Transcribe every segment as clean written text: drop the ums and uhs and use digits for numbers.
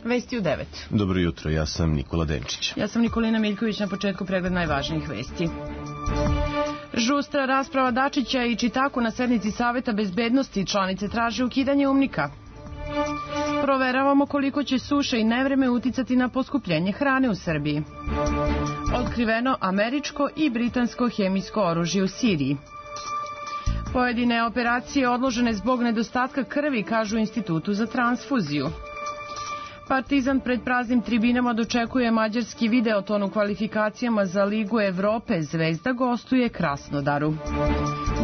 Vesti u 9. Dobro jutro, ja sam Nikola Denčić. Ja sam Nikolina Miljković, na početku pregled najvažnijih vesti. Žustra rasprava Dačića i Čitaku na sednici Saveta bezbednosti, članice traže ukidanje UNMIK-a. Proveravamo koliko će suša i nevreme uticati na poskupljenje hrane u Srbiji. Otkriveno američko i britansko hemijsko oružje u Siriji. Pojedine operacije odložene zbog nedostatka krvi, kažu Institutu za transfuziju. Partizan pred praznim tribinama dočekuje mađarski Videoton u kvalifikacijama za Ligu Evrope. Zvezda gostuje Krasnodaru.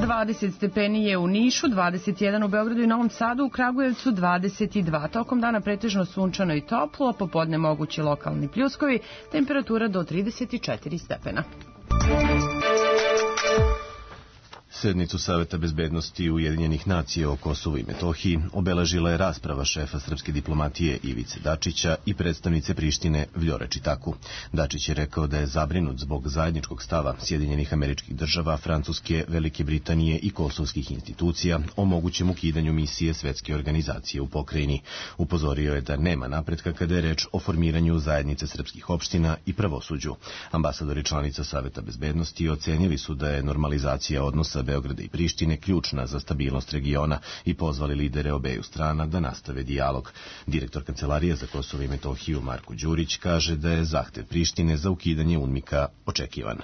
20 stepeni je u Nišu, 21 u Beogradu i Novom Sadu, u Kragujevcu 22. Tokom dana pretežno sunčano i toplo, popodne mogući lokalni pljuskovi, temperatura do 34 stepena. Sednicu Saveta bezbednosti Ujedinjenih nacija o Kosovu i Metohiji obeležila je rasprava šefa srpske diplomatije Ivice Dačića i predstavnice Prištine Vljore Čitaku. Dačić je rekao da je zabrinut zbog zajedničkog stava Sjedinjenih Američkih Država, Francuske, Velike Britanije i kosovskih institucija o mogućem ukidanju misije Svetske organizacije u pokrajini. Upozorio je da nema napretka kada je reč o formiranju zajednice srpskih opština i pravosuđu. Ambasadori članica Saveta bezbednosti ocenili su da je normalizacija odnosa Beograda i Prištine ključna za stabilnost regiona i pozvali lidere obeju strana da nastave dijalog. Direktor Kancelarije za Kosovo i Metohiju Marko Đurić kaže da je zahtev Prištine za ukidanje UNMIK-a očekivan.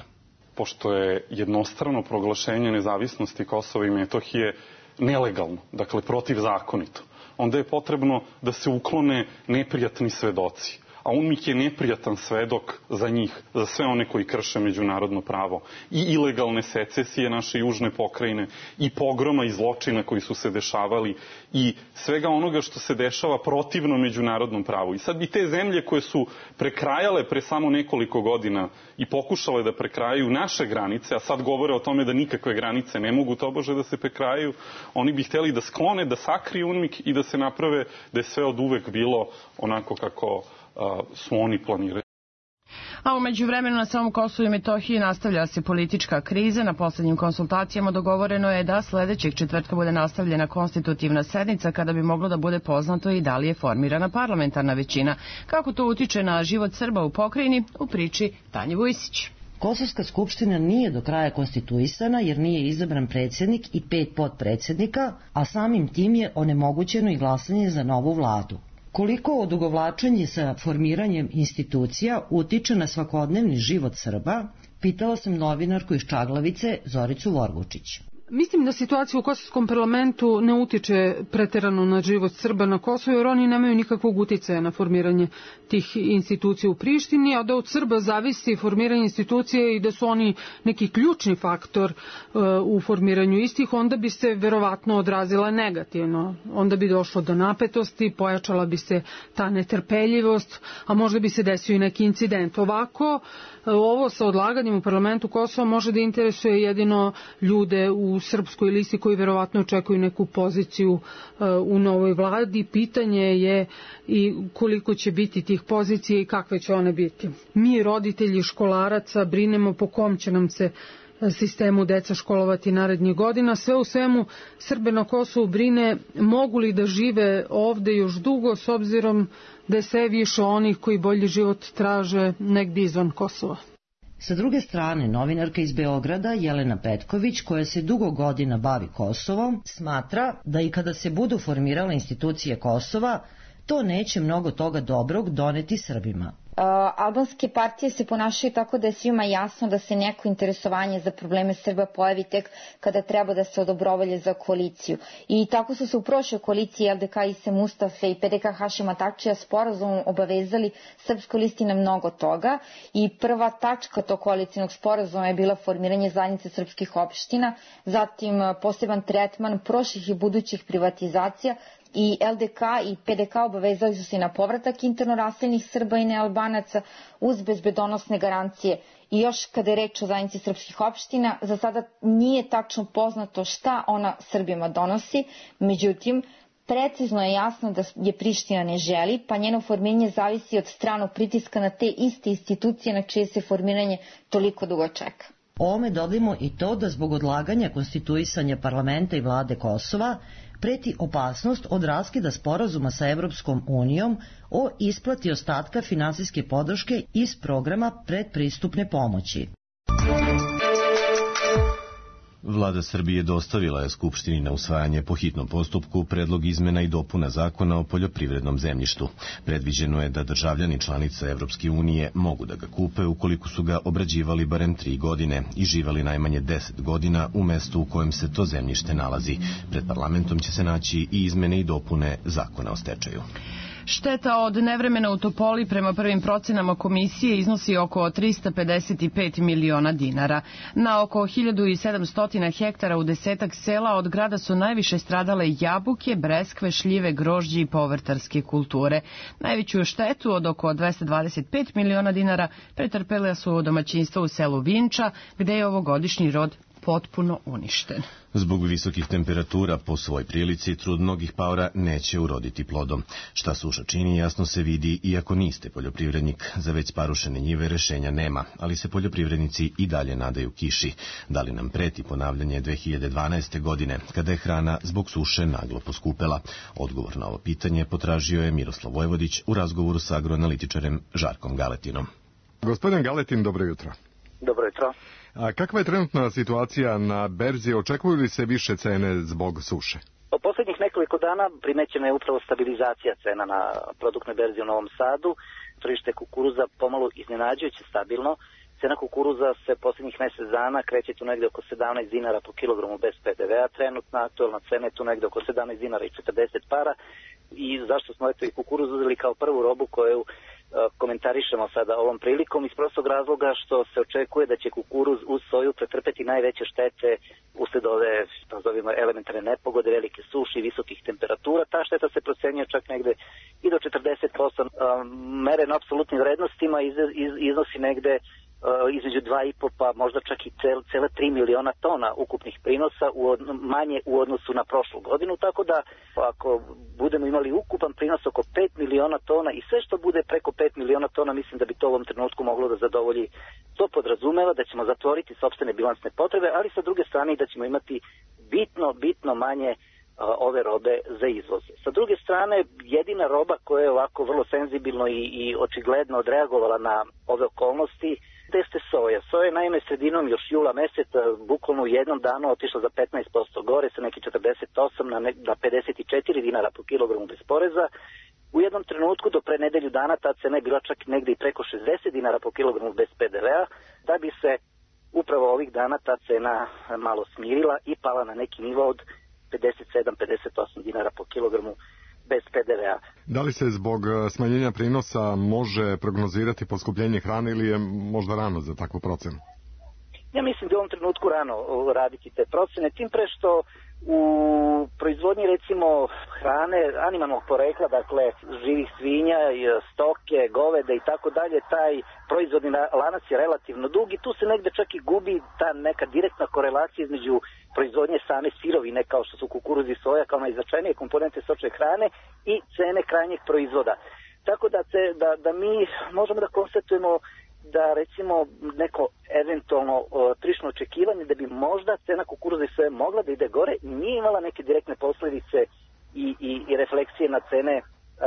Pošto je jednostrano proglašenje nezavisnosti Kosova i Metohije nelegalno, dakle protivzakonito, onda je potrebno da se uklone neprijatni svedoci. A UNMIK je neprijatan svedok za njih, za sve one koji krše međunarodno pravo. I ilegalne secesije naše južne pokrajine, i pogroma i zločina koji su se dešavali, i svega onoga što se dešava protivno međunarodnom pravu. I sad bi te zemlje koje su prekrajale pre samo nekoliko godina i pokušale da prekrajaju naše granice, a sad govore o tome da nikakve granice ne mogu tobože da se prekrajaju, oni bi hteli da sklone, da sakriju UNMIK i da se naprave da je sve od uvek bilo onako kako su oni planirali. A u međuvremenu na samom Kosovu i Metohiji nastavlja se politička kriza. Na poslednjim konsultacijama dogovoreno je da sledećeg četvrtka bude nastavljena konstitutivna sednica kada bi moglo da bude poznato i da li je formirana parlamentarna većina. Kako to utiče na život Srba u pokrajini, u priči Tanje Vujsić. Kosovska skupština nije do kraja konstituisana jer nije izabran predsjednik i 5 potpredsjednika, a samim tim je onemogućeno i glasanje za novu vladu. Koliko odugovlačenje sa formiranjem institucija utiče na svakodnevni život Srba, pitala sam novinarku iz Čaglavice Zoricu Vorgučić. Mislim da situacija u kosovskom parlamentu ne utiče preterano na život Srba na Kosovu, jer oni nemaju nikakvog uticaja na formiranje tih institucija u Prištini, a da od Srba zavisi formiranje institucije i da su oni neki ključni faktor u formiranju istih, onda bi se verovatno odrazila negativno. Onda bi došlo do napetosti, pojačala bi se ta netrpeljivost, a možda bi se desio i neki incident. Ovako, ovo sa odlaganjem u parlamentu Kosova može da interesuje jedino ljude u srpskoj listi koji verovatno očekuju neku poziciju u novoj vladi. Pitanje je i koliko će biti tih pozicija i kakve će one biti. Mi, roditelji školaraca, brinemo po kom će nam se sistemu deca školovati narednih godina. Sve u svemu, Srbe na Kosovu brine mogu li da žive ovde još dugo, s obzirom da je sve više onih koji bolji život traže negdje izvan Kosova. Sa druge strane, novinarka iz Beograda Jelena Petković, koja se dugo godina bavi Kosovom, smatra da i kada se budu formirale institucije Kosova, to neće mnogo toga dobrog doneti Srbima. Albanske partije se ponašaju tako da je svima jasno da se neko interesovanje za probleme Srba pojavi tek kada treba da se odobrovolje za koaliciju. I tako su se u prošloj koaliciji LDK Ise Mustafe i PDK Hašima Tačija sporazumom obavezali srpskoj listi na mnogo toga i prva tačka tog koalicijnog sporazuma je bila formiranje zajednice srpskih opština, zatim poseban tretman prošlih i budućih privatizacija, i LDK i PDK obavezali su se na povratak interno raseljenih Srba i nealbanaca uz bezbedonosne garancije. I još kada je reč o zajednici srpskih opština, za sada nije tačno poznato šta ona Srbima donosi, međutim, precizno je jasno da je Priština ne želi, pa njeno formiranje zavisi od stranog pritiska na te iste institucije na čije se formiranje toliko dugo čeka. Ovome dodajmo i to da zbog odlaganja konstituisanja parlamenta i vlade Kosova preti opasnost od raskida sporazuma sa Evropskom unijom o isplati ostatka finansijske podrške iz programa predpristupne pomoći. Vlada Srbije dostavila je Skupštini na usvajanje po hitnom postupku predlog izmena i dopuna zakona o poljoprivrednom zemljištu. Predviđeno je da državljani članica Evropske unije mogu da ga kupe ukoliko su ga obrađivali barem 3 godine i živali najmanje 10 godina u mestu u kojem se to zemljište nalazi. Pred parlamentom će se naći i izmene i dopune zakona o stečaju. Šteta od nevremena u Topoli prema prvim procenama komisije iznosi oko 355 miliona dinara. Na oko 1700 hektara u 10 sela od grada su najviše stradale jabuke, breskve, šljive, grožđe i povrtarske kulture. Najveću štetu od oko 225 miliona dinara pretrpela su domaćinstva u selu Vinča, gde je ovogodišnji rod potpuno uništen. Zbog visokih temperatura po svoj prilici trud mnogih paora neće uroditi plodom. Šta suša čini jasno se vidi iako niste poljoprivrednik. Za već sparušene njive rešenja nema, ali se poljoprivrednici i dalje nadaju kiši. Da li nam preti ponavljanje 2012. godine, kada je hrana zbog suše naglo poskupela? Odgovor na ovo pitanje potražio je Miroslav Vojvodić u razgovoru sa agroanalitičarem Žarkom Galetinom. Gospodin Galetin, dobro jutro. Dobro jutro. A kakva je trenutna situacija na berzi? Očekuju li se više cene zbog suše? Po posljednjih nekoliko dana primećena je upravo stabilizacija cena na produktnoj berzi u Novom Sadu. Tržište kukuruza pomalo iznenađujuće stabilno. Cena kukuruza se posljednjih mjesec dana kreće tu negde oko 17 dinara po kilogramu bez PDV-a. Trenutna aktualna cena je tu negde oko 17 dinara i 40 para. I zašto smo i kukuruz uzeli kao prvu robu koju komentarišemo sada ovom prilikom iz prostog razloga što se očekuje da će kukuruz uz soju pretrpeti najveće štete usled ove, nazovimo, elementarne nepogode, velike suše i visokih temperatura. Ta šteta se procenjuje čak negde i do 40%. Meren apsolutnim vrednostima iznosi negde između 2,5 pa možda čak i cela 3 miliona tona ukupnih prinosa manje u odnosu na prošlu godinu, tako da ako budemo imali ukupan prinos oko 5 miliona tona i sve što bude preko 5 miliona tona, mislim da bi to u ovom trenutku moglo da zadovolji. To podrazumeva da ćemo zatvoriti sopstvene bilansne potrebe, ali sa druge strane da ćemo imati bitno manje ove robe za izvoz. Sa druge strane, jedina roba koja je ovako vrlo senzibilno i očigledno odreagovala na ove okolnosti jeste soja. Soja je naime sredinom još jula meseca bukvalno u jednom danu otišla za 15% gore sa neki 48 na 54 dinara po kilogramu bez poreza. U jednom trenutku do pre nedelju dana ta cena je bila čak negde i preko 60 dinara po kilogramu bez PDV-a, da bi se upravo ovih dana ta cena malo smirila i pala na neki nivo od 57-58 dinara po kilogramu bez PDV-a. Da li se zbog smanjenja prinosa može prognozirati poskupljenje hrane ili je možda rano za takvu procenu? Ja mislim da u ovom trenutku rano raditi te procene, tim pre što u proizvodnji recimo hrane animalnog porekla, dakle živih svinja, stoke, goveda i tako dalje, taj proizvodni lanac je relativno dug i tu se negde čak i gubi ta neka direktna korelacija između proizvodnje same sirovine kao što su kukuruz i soja kao najznačajnije komponente stočne hrane i cene krajnjeg proizvoda. Tako da mi možemo da konstatujemo da recimo neko eventualno tržišno očekivanje da bi možda cena kukuruza i soje mogla da ide gore, nije imala neke direktne posledice i refleksije na cene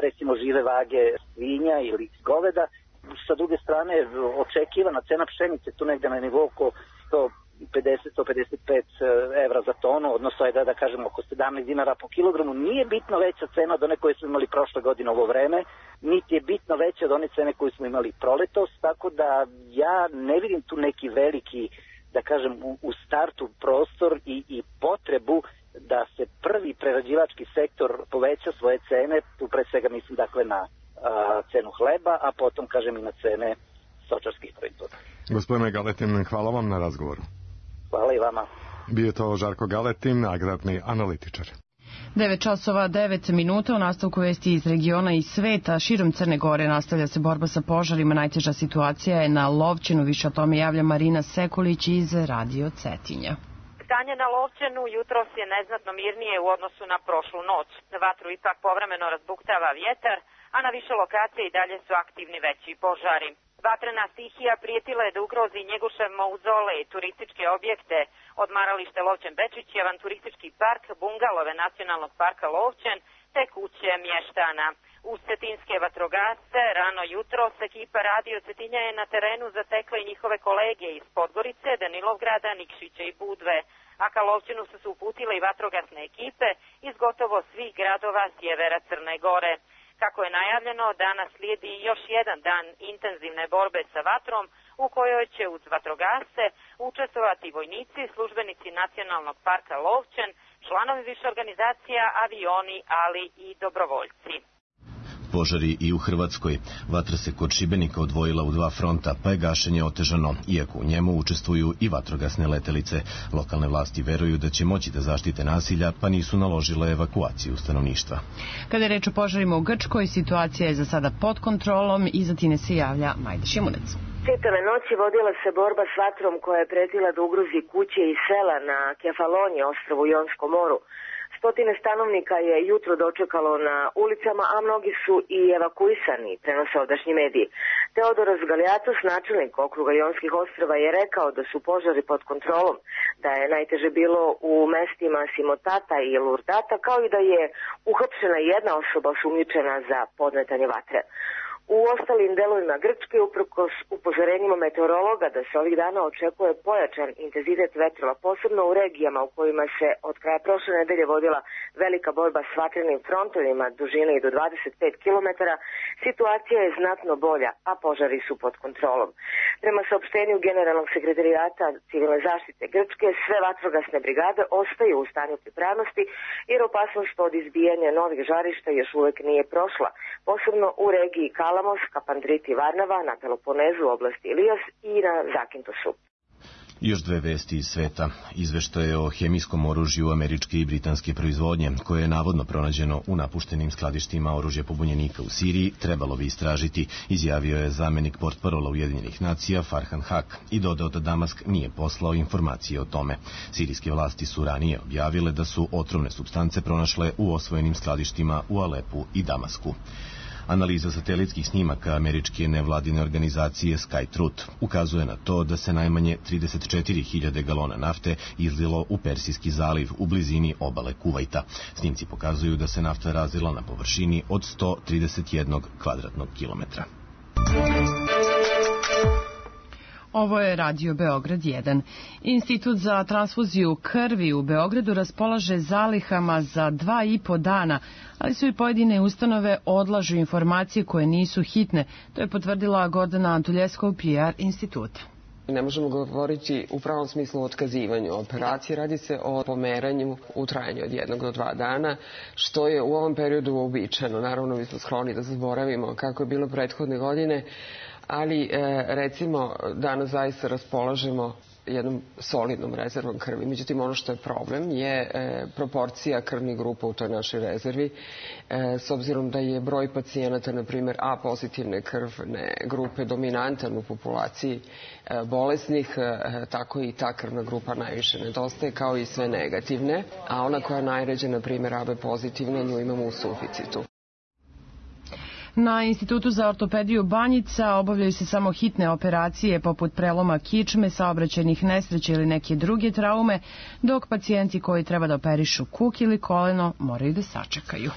recimo žive vage svinja ili goveda. Sa druge strane, očekivana cena pšenice tu negde na nivou oko 150-155 evra za tonu, odnosno da kažemo oko 17 dinara po kilogramu, nije bitno veća cena od one koje smo imali prošle godine ovo vreme, niti je bitno veća od one cene koje smo imali proletos, tako da ja ne vidim tu neki veliki, da kažem, u startu prostor i potrebu da se prvi prerađivački sektor poveća svoje cene, tu pre svega mislim dakle na cenu hleba, a potom kažem i na cene stočarskih proizvoda. Gospodine Galetin, hvala vam na razgovoru. Hvala i vama. Bio je to Žarko Galetin, agrarni analitičar. 9:09 u nastavku vesti iz regiona i sveta. Širom Crne Gore nastavlja se borba sa požarima. Najteža situacija je na Lovćenu. Više o tome javlja Marina Sekulić iz Radio Cetinja. Stanje na Lovćenu jutros je neznatno mirnije u odnosu na prošlu noć. Vatru ipak povremeno razbuktava vjetar, a na više lokacija i dalje su aktivni veći požari. Vatrena stihija prijetila je da ugrozi Njegošev mauzole, turističke objekte, odmaralište Lovćen Bečić, avanturistički park, bungalove Nacionalnog parka Lovćen, te kuće mještana. Uz cetinske vatrogasce, rano jutro, ekipa Radio Cetinja je na terenu zatekla i njihove kolege iz Podgorice, Danilovgrada, Nikšića i Budve, a ka Lovćenu su se uputile i vatrogasne ekipe iz gotovo svih gradova sjevera Crne Gore. Kako je najavljeno, danas slijedi još jedan dan intenzivne borbe sa vatrom u kojoj će uz vatrogasce učestvovati vojnici, službenici Nacionalnog parka Lovćen, članovi više organizacija, avioni, ali i dobrovoljci. Požari i u Hrvatskoj. Vatra se kod Šibenika odvojila u dva fronta, pa je gašenje otežano, iako u njemu učestvuju i vatrogasne letelice. Lokalne vlasti veruju da će moći da zaštite nasilja, pa nisu naložile evakuaciju stanovništva. Kada je reč o požarima u Grčkoj, situacija je za sada pod kontrolom i za time se javlja Majda Šimunec. Čitave noći vodila se borba s vatrom koja je pretila da ugrozi kuće i sela na Kefaloniji, ostrvu u Jonskom moru. Stotine stanovnika je jutro dočekalo na ulicama, a mnogi su i evakuisani, prenose ovdašnji mediji. Teodoros Galiatos, načelnik okruga Jonskih ostrva, je rekao da su požari pod kontrolom, da je najteže bilo u mestima Simotata i Lurdata, kao i da je uhapšena jedna osoba osumnjičena za podmetanje vatre. U ostalim delovima Grčke, uprkos upozorenjima meteorologa da se ovih dana očekuje pojačan intenzitet vetrova, posebno u regijama u kojima se od kraja prošle nedelje vodila velika borba s vatrenim frontovima dužine i do 25 km, situacija je znatno bolja, a požari su pod kontrolom. Prema saopštenju Generalnog sekretarijata civilne zaštite Grčke, sve vatrogasne brigade ostaju u stanju pripravnosti, jer opasnost od izbijanja novih žarišta još uvek nije prošla, posebno u regiji Kalamos, Kapandriti, Varnava, na Peloponezu, oblasti Ilios i na Zakintosu. Još dve vesti iz sveta. Izveštaje o hemijskom oružju američke i britanske proizvodnje, koje je navodno pronađeno u napuštenim skladištima oružja pobunjenika u Siriji, trebalo bi istražiti, izjavio je zamenik portparola Ujedinjenih nacija Farhan Haq i dodao da Damask nije poslao informacije o tome. Sirijske vlasti su ranije objavile da su otrovne supstance pronašle u osvojenim skladištima u Alepu i Damasku. Analiza satelitskih snimaka američke nevladine organizacije SkyTruth ukazuje na to da se najmanje 34.000 galona nafte izlilo u Persijski zaliv u blizini obale Kuvajta. Snimci pokazuju da se nafta razlila na površini od 131 kvadratnog kilometra. Ovo je Radio Beograd 1. Institut za transfuziju krvi u Beogradu raspolaže zalihama za 2,5 dana, ali su i pojedine ustanove odlažu informacije koje nisu hitne. To je potvrdila Gordana Antuljeskov, PR instituta. Ne možemo govoriti u pravom smislu o otkazivanju operacije, radi se o pomeranju u trajanju od 1 do 2 dana, što je u ovom periodu uobičajeno. Naravno, mi smo skloni da zaboravimo kako je bilo prethodne godine, ali recimo danas zaista raspolažemo jednom solidnom rezervom krvi. Međutim, ono što je problem je proporcija krvnih grupa u toj našoj rezervi. S obzirom da je broj pacijenata, na primjer, A pozitivne krvne grupe dominantan u populaciji bolesnih, tako i ta krvna grupa najviše nedostaje, kao i sve negativne. A ona koja je najređa, na primjer, AB pozitivna, nju imamo u suficitu. Na Institutu za ortopediju Banjica obavljaju se samo hitne operacije poput preloma kičme, saobraćajnih nesreća ili neke druge traume, dok pacijenti koji treba da operišu kuk ili koleno moraju da sačekaju.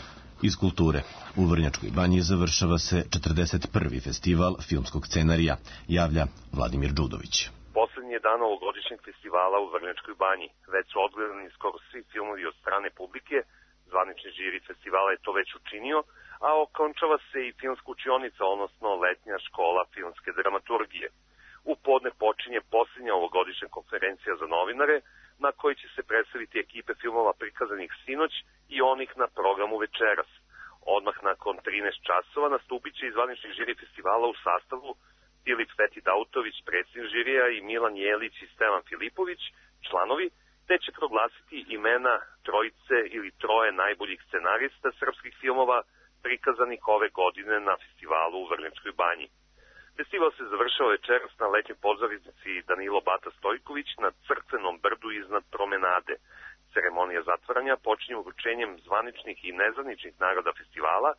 Iz kulture. U Vrnjačkoj banji završava se 41. festival filmskog scenarija, javlja Vladimir Đudović. Poslednji je dan ovogodišnjeg festivala u Vrnjačkoj banji. Već su odgledani skoro svi filmovi od strane publike, zvanični žiri festivala je to već učinio, a okončava se i filmska učionica, odnosno letnja škola filmske dramaturgije. U podne počinje posljednja ovogodišnja konferencija za novinare, na kojoj će se predstaviti ekipe filmova prikazanih sinoć i onih na programu večeras. Odmah nakon 13 časova nastupit će zvanični žiri festivala u sastavu Filip Feti-Dautović, predsjednik žirija, i Milan Jelić i Stevan Filipović, članovi, te će proglasiti imena trojice ili troje najboljih scenarista srpskih filmova prikazanih ove godine na festivalu u Vrnjačkoj banji. Festival se završava večeras na letnjoj pozornici Danilo Bata Stojković na Crkvenom brdu iznad promenade. Ceremonija zatvaranja počinje uručenjem zvaničnih i nezvaničnih nagrada festivala,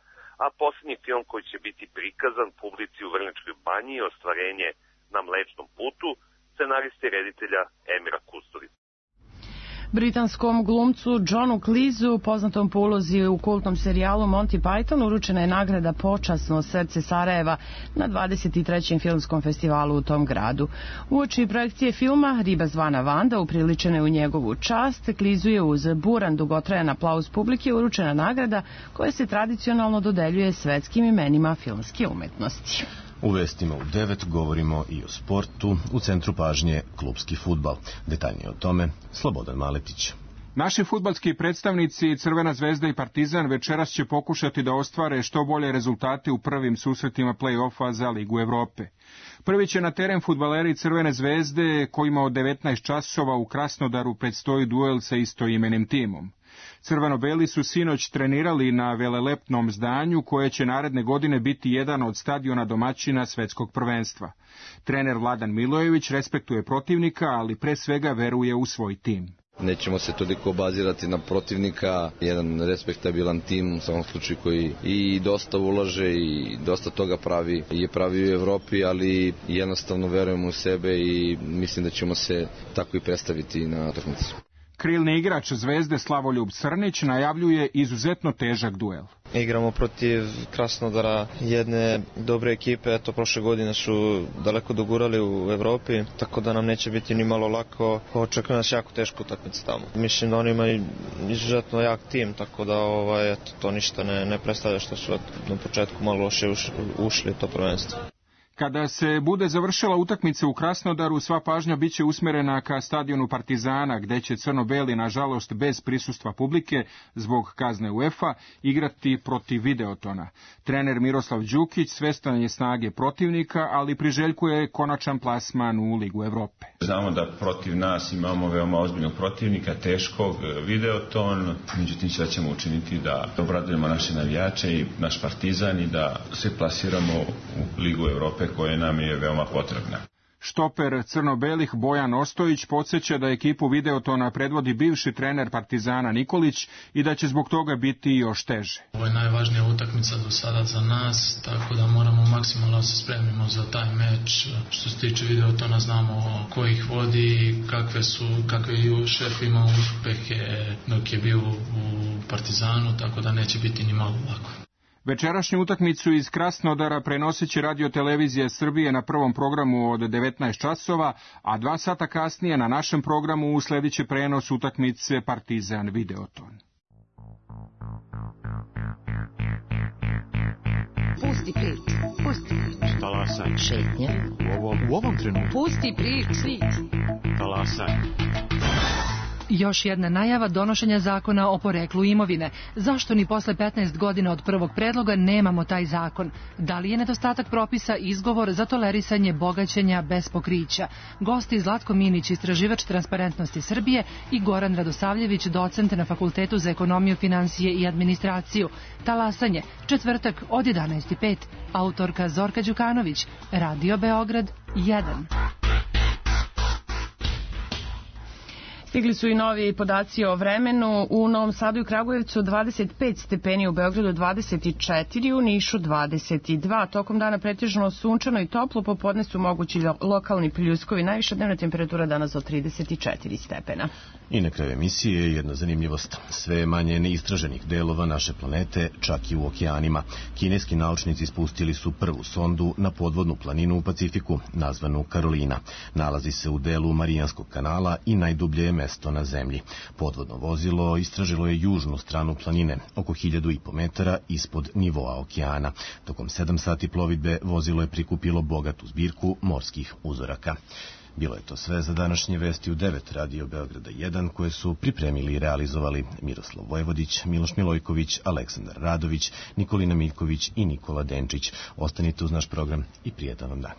a posljednji film koji će biti prikazan publici u Vrnjačkoj banji je Ostvarenje na Mlečnom putu, scenariste i reditelja Emira Kusturice. Britanskom glumcu Johnu Cleeseu, poznatom po ulozi u kultnom serijalu Monty Python, uručena je nagrada Počasno srce Sarajeva na 23. filmskom festivalu u tom gradu. Uoči projekcije filma Riba zvana Vanda, upriličene u njegovu čast, Cleeseu je uz buran dugotrajan aplauz publike uručena nagrada koja se tradicionalno dodeljuje svetskim imenima filmske umetnosti. U vestima u 9 govorimo i o sportu, u centru pažnje klupski fudbal. Detaljnije o tome Slobodan Maletić. Naši fudbalski predstavnici Crvena zvezda i Partizan večeras će pokušati da ostvare što bolje rezultate u prvim susretima play-offa za Ligu Evrope. Prvi će na teren fudbaleri Crvene zvezde, kojima od 19 časova u Krasnodaru predstoji duel sa istoimenim timom. Crveno-beli su sinoć trenirali na velelepnom zdanju koje će naredne godine biti jedan od stadiona domaćina svetskog prvenstva. Trener Vladan Milojević respektuje protivnika, ali pre svega veruje u svoj tim. Nećemo se toliko bazirati na protivnika, jedan respektabilan tim u svakom slučaju koji i dosta ulaže i dosta toga pravi u Evropi, ali jednostavno verujemo u sebe i mislim da ćemo se tako i predstaviti na utakmici. Krilni igrač Zvezde Slavoljub Crnić najavljuje izuzetno težak duel. Igramo protiv Krasnodara, jedne dobre ekipe, eto prošle godine su daleko dogurali u Evropi, tako da nam neće biti ni malo lako, očekuje nas jako teško utakmica tamo. Mislim da oni imaju izuzetno jak tim, tako da eto, to ništa ne predstavlja što su na početku malo loše ušli to prvenstvo. Kada se bude završila utakmica u Krasnodaru, sva pažnja biće usmerena ka stadionu Partizana, gde će crno-beli, nažalost, bez prisustva publike, zbog kazne UEFA, igrati protiv Videotona. Trener Miroslav Đukić svestan je snage protivnika, ali priželjkuje konačan plasman u Ligu Evrope. Znamo da protiv nas imamo veoma ozbiljnog protivnika, teškog, Videoton, međutim sve ćemo učiniti da obradujemo naše navijače i naš Partizan i da se plasiramo u Ligu Evrope koje nam je veoma potrebna. Štoper crno-belih Bojan Ostojić podsjeća da ekipu Videotona predvodi bivši trener Partizana Nikolić i da će zbog toga biti još teže. Ovo je najvažnija utakmica do sada za nas, tako da moramo maksimalno se spremimo za taj meč. Što se tiče Videotona, znamo ko ih vodi, kakve je šef imao uspehe dok je bio u Partizanu, tako da neće biti ni malo lako. Večerašnju utakmicu iz Krasnodara prenosit će Radio-televizija Srbije na prvom programu od 19 časova, a 2 sata kasnije na našem programu usledit će prenos utakmice Partizan Videoton. Pusti priču. Talasaj. Šetnja. U ovom trenutku. Pusti priču. Talasaj. Još jedna najava donošenja zakona o poreklu imovine. Zašto ni posle 15 godina od prvog predloga nemamo taj zakon? Da li je nedostatak propisa izgovor za tolerisanje bogaćenja bez pokrića? Gosti Zlatko Minić, istraživač Transparentnosti Srbije, i Goran Radosavljević, docent na Fakultetu za ekonomiju, finansije i administraciju. Talasanje, četvrtak od 11:05. Autorka Zorka Đukanović, Radio Beograd 1. Stigli su i novi podaci o vremenu. U Novom Sadu i Kragujevcu 25 stepeni, u Beogradu 24, u Nišu 22. Tokom dana pretežno sunčano i toplo, popodne su mogući lokalni pljuskovi. Najviša dnevna temperatura danas do 34 stepena. I na kraju emisije jedna zanimljivost. Sve je manje neistraženih delova naše planete, čak i u okeanima. Kineski naučnici spustili su prvu sondu na podvodnu planinu u Pacifiku, nazvanu Karolina. Nalazi se u delu Marijanskog kanala i najdublje je mesto na zemlji. Podvodno vozilo istražilo je južnu stranu planine, oko 1500 metara ispod nivoa okeana. Tokom 7 sati plovidbe vozilo je prikupilo bogatu zbirku morskih uzoraka. Bilo je to sve za današnje vesti u 9 Radio Beograda 1, koje su pripremili i realizovali Miroslav Vojvodić, Miloš Milojković, Aleksandar Radović, Nikolina Miljković i Nikola Denčić. Ostanite uz naš program i prijetan vam dan.